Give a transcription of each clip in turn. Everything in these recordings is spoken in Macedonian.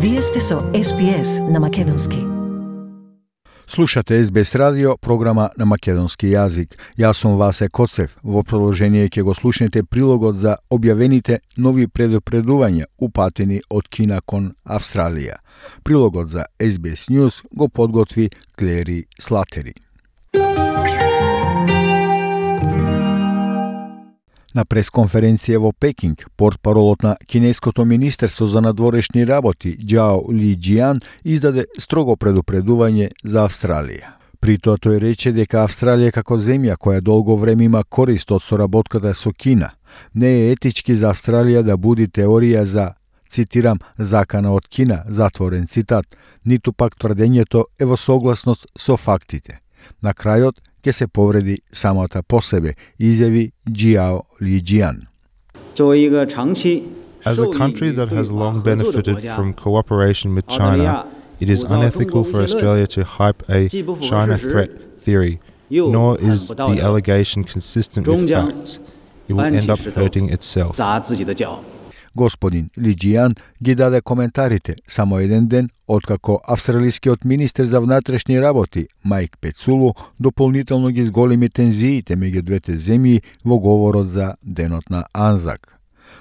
Вие сте со SPS на македонски. Слушате SBS радио, програма на македонски јазик. Јас сум Васе Коцев. Во продолжение ќе го слушнете прилогот за објавените нови предупредувања упатени од Кина кон Австралија. Прилогот за SBS News го подготви Клери Слатери. На пресконференција во Пекинг, портпаролот на Кинеското министерство за надворешни работи Џао Лиџијан издаде строго предупредување за Австралија. При тоа тој рече дека Австралија како земја која долго време има корист од соработката со Кина, не е етички за Австралија да буди теорија за, цитирам, закана од Кина, затворен цитат, ниту пак тврдењето е во согласност со фактите. На крајот ќе се повреди самата по себе, изјави Џао Лиџијан. As a country that has long benefited from cooperation with China, it is unethical for Australia to hype a China threat theory, nor is the allegation consistent with facts. It will end up hurting itself. Господин Лиџијан ги даде коментарите само еден ден откако австралискиот министер за внатрешни работи Майк Пецулу дополнително ги зголеми тензиите меѓу двете земји во говорот за денот на Анзак.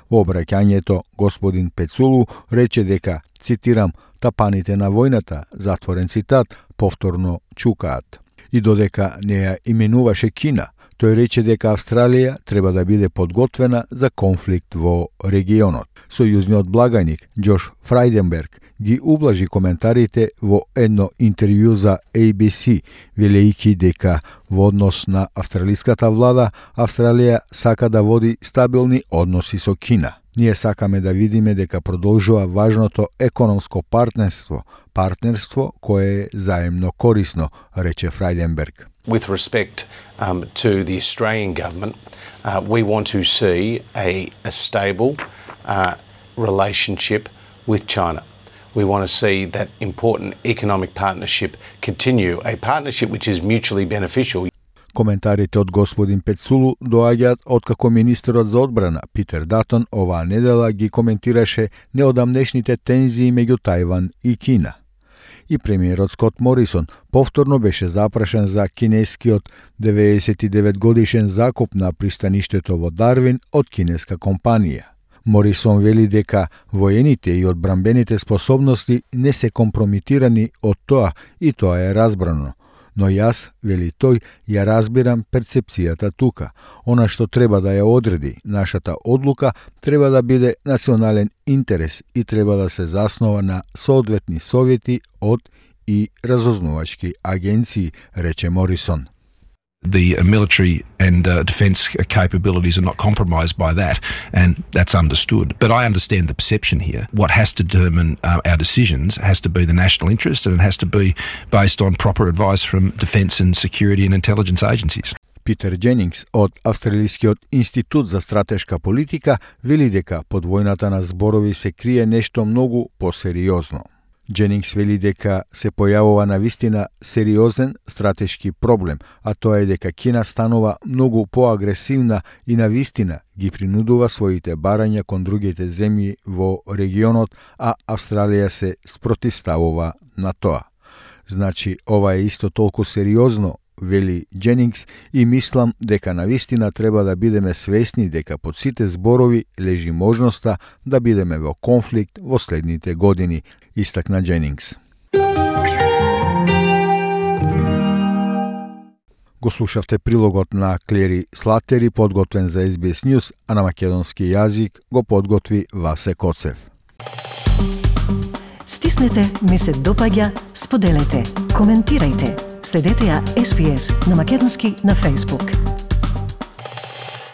Во обраќањето господин Пецулу рече дека, цитирам, тапаните на војната, затворен цитат, повторно чукаат. И додека не ја именуваше Кина, тој рече дека Австралија треба да биде подготвена за конфликт во регионот. Сојузниот благајник Џош Фрајденберг ги ублажи коментарите во едно интервју за ABC, велејќи дека во однос на австралиската влада, Австралија сака да води стабилни односи со Кина. Ние сакаме да видиме дека продолжува важното економско партнерство кое е заемно корисно, рече Фрајденберг. With respect to the Australian government, we want to see a stable relationship with China. We want to see that important economic partnership continue, a partnership which is mutually beneficial. Коментарите од господин Пецулу доаѓаат откако министерот за одбрана Питер Датон оваа недела ги коментираше неодамнешните тензии меѓу Тајван и Кина. И премиерот Скот Морисон повторно беше запрашен за кинескиот 99 годишен закуп на пристаништето во Дарвин од кинеска компанија. Морисон вели дека воените и одбранбените способности не се компромитирани од тоа и тоа е разбрано. Но јас, вели тој, ја разбирам перцепцијата тука. Она што треба да ја одреди нашата одлука треба да биде национален интерес и треба да се заснова на соодветни совети од и разузнавачки агенции, рече Морисон. The military and defence capabilities are not compromised by that, and that's understood. But I understand the perception here. What has to determine our decisions has to be the national interest, and it has to be based on proper advice from defence and security and intelligence agencies. Питер Дженингс од Австралискиот институт за стратешка политика вели дека под војната на зборови се крие нешто многу посериозно. Дженингс вели дека се појавува навистина сериозен стратешки проблем, а тоа е дека Кина станува многу поагресивна и навистина ги принудува своите барања кон другите земји во регионот, а Австралија се спротивставува на тоа. Значи, ова е исто толку сериозно, вели Дженингс, и мислам дека навистина треба да бидеме свесни дека под сите зборови лежи можноста да бидеме во конфликт во следните години, истакна Дженингс. Го слушавте прилогот на Клери Слатери, подготвен за SBS News, а на македонски јазик го подготви Васе Коцев. Стиснете, ми се допаѓа, споделете, коментирајте. Следете ја SPS на македонски на Facebook.